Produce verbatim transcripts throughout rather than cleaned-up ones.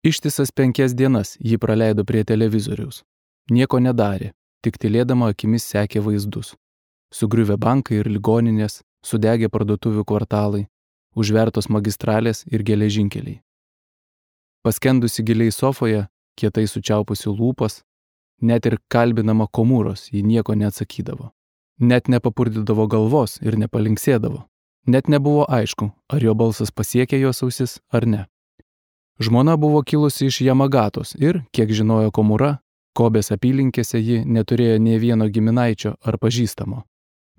Ištisas penkias dienas ji praleido prie televizoriaus. Nieko nedarė, tik tylėdama akimis sekė vaizdus. Sugriuvę bankai ir ligoninės, sudegę parduotuvių kvartalai, užvertos magistralės ir geležinkeliai. Paskendusi giliai sofoje, kietai sučiaupusi lūpas, net ir kalbinama Komūros ji nieko neatsakydavo. Net nepapurdydavo galvos ir nepalinksėdavo. Net nebuvo aišku, ar jo balsas pasiekė jos ausis ar ne. Žmona buvo kilusi iš Jamagatos ir, kiek žinojo Komūra, Kobės apylinkėse ji neturėjo nė vieno giminaičio ar pažįstamo.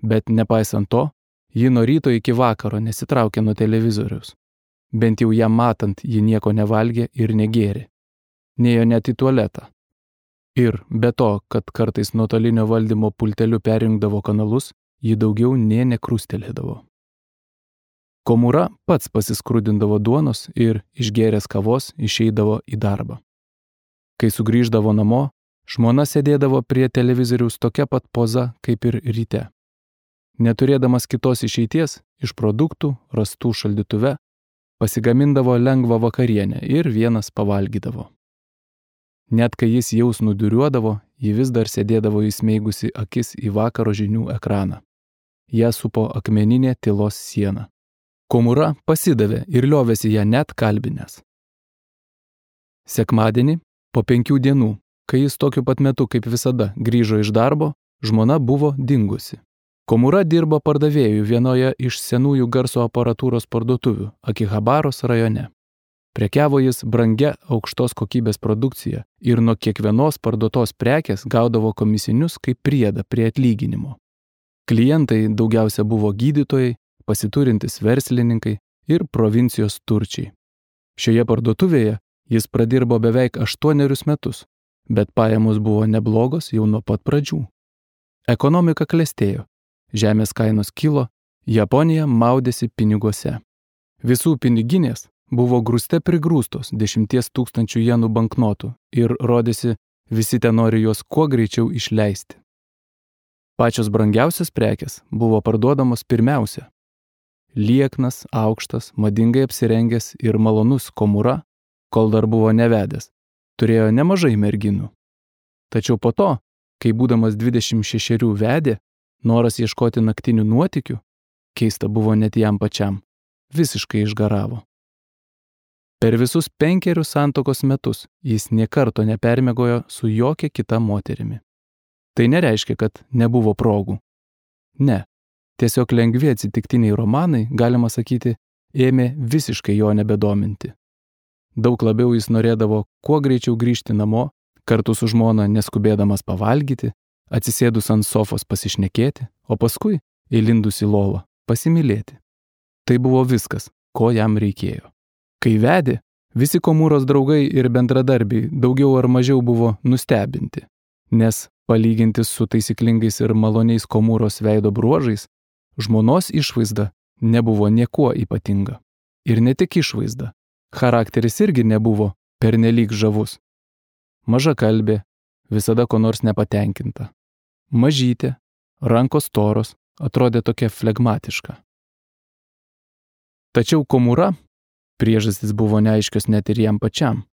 Bet nepaisant to, ji nuo ryto iki vakaro nesitraukė nuo televizoriaus. Bent jau ją matant, ji nieko nevalgė ir negėrė. Nėjo net į tualetą. Ir be to, kad kartais nuotolinio valdymo pulteliu perjungdavo kanalus, ji daugiau nė nekrustelėdavo. Komūra pats pasiskrudindavo duonos ir, išgėręs kavos, išeidavo į darbą. Kai sugrįždavo namo, žmona sėdėdavo prie televizoriaus tokia pat poza kaip ir ryte. Neturėdamas kitos išeities, iš produktų, rastų šaldytuve, pasigamindavo lengvą vakarienę ir vienas pavalgydavo. Net kai jis jau snuduriuodavo, ji vis dar sėdėdavo įsmeigusi akis į vakaro žinių ekraną. Ją supo akmeninė tylos siena. Komūra pasidavė ir liovėsi ją net kalbinęs. Sekmadienį, po penkių dienų, kai jis tokiu pat metu kaip visada grįžo iš darbo, žmona buvo dingusi. Komūra dirbo pardavėjų vienoje iš senųjų garso aparatūros parduotuvių Akihabaros rajone. Prekiavo jis brangia aukštos kokybės produkcija ir nuo kiekvienos parduotos prekės gaudavo komisinius kaip priedą prie atlyginimo. Klientai daugiausia buvo gydytojai, pasiturintys verslininkai ir provincijos turčiai. Šioje parduotuvėje jis pradirbo beveik aštuonerius metus, bet pajamos buvo neblogos jau nuo pat pradžių. Ekonomika klestėjo, žemės kainos kilo, Japonija maudėsi piniguose. Visų piniginės buvo grūste prigrūstos dešimties tūkstančių jenų banknotų ir rodėsi, visi ten nori juos kuo greičiau išleisti. Pačios brangiausios prekės buvo parduodamos pirmiausia. Lieknas, aukštas, madingai apsirengęs ir malonus Komūra, kol dar buvo nevedęs, turėjo nemažai merginų. Tačiau po to, kai būdamas dvidešimt šešerių vedė, noras ieškoti naktinių nuotykių, keista buvo net jam pačiam, visiškai išgaravo. Per visus penkerius santuokos metus jis nė karto nepermiegojo su jokia kita moterimi. Tai nereiškia, kad nebuvo progų. Ne, tiesiog lengvi atsitiktiniai romanai, galima sakyti, ėmė visiškai jo nebedominti. Daug labiau jis norėdavo kuo greičiau grįžti namo, kartu su žmona neskubėdamas pavalgyti, atsisėdus ant sofos pasišnekėti, o paskui, įlindus į lovą, pasimylėti. Tai buvo viskas, ko jam reikėjo. Kai vedė, visi Komūros draugai ir bendradarbiai daugiau ar mažiau buvo nustebinti, nes palyginti su taisyklingais ir maloniais Komūros veido bruožais, žmonos išvaizda nebuvo niekuo ypatinga. Ir ne tik išvaizda, charakteris irgi nebuvo pernelyg žavus. Maža kalbė, visada ko nors nepatenkinta. Mažytė, rankos storos, atrodė tokia flegmatiška. Tačiau Komūra, priežastys buvo neaiškios net ir jam pačiam,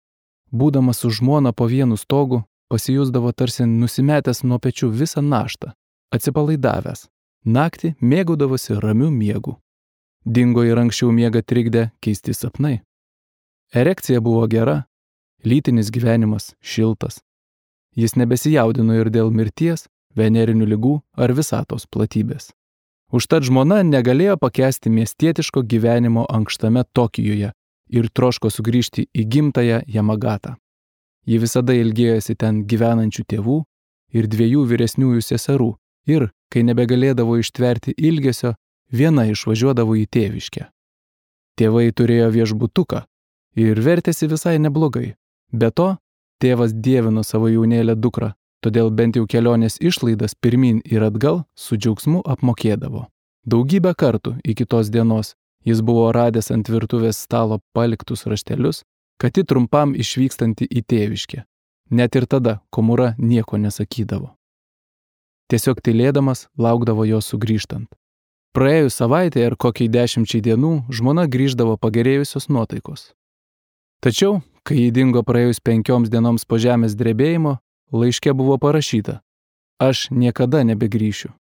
būdamas su žmona po vienu stogu, pasijusdavo tarsi nusimetęs nuo pečių visą naštą, atsipalaidavęs, naktį mėgaudavosi ramiu miegu. Dingo ir anksčiau miegą trikdė keisti sapnai. Erekcija buvo gera, lytinis gyvenimas šiltas. Jis nebesijaudino ir dėl mirties, venerinių ligų ar visatos platybės. Užtat žmona negalėjo pakęsti miestietiško gyvenimo ankštame Tokijuje ir troško sugrįžti į gimtąją Jamagatą. Ji visada ilgėjosi ten gyvenančių tėvų ir dviejų vyresniųjų seserų ir, kai nebegalėdavo ištverti ilgesio, viena išvažiuodavo į tėviškę. Tėvai turėjo viešbutuką ir vertėsi visai neblogai. Be to, tėvas dievino savo jaunėlę dukrą, todėl bent jau kelionės išlaidas pirmin ir atgal su džiaugsmu apmokėdavo. Daugybę kartų iki tos dienos jis buvo radęs ant virtuvės stalo paliktus raštelius, kad ji trumpam išvykstanti į tėviškę. Net ir tada Komūra nieko nesakydavo. Tiesiog tylėdamas laukdavo jo sugrįžtant. Praėjus savaitę ar kokiai dešimčiai dienų žmona grįždavo pagerėjusios nuotaikos. Tačiau, Kai jį dingo praėjus penkioms dienoms po žemės drebėjimo, laiške buvo parašyta: Aš niekada nebegrįšiu.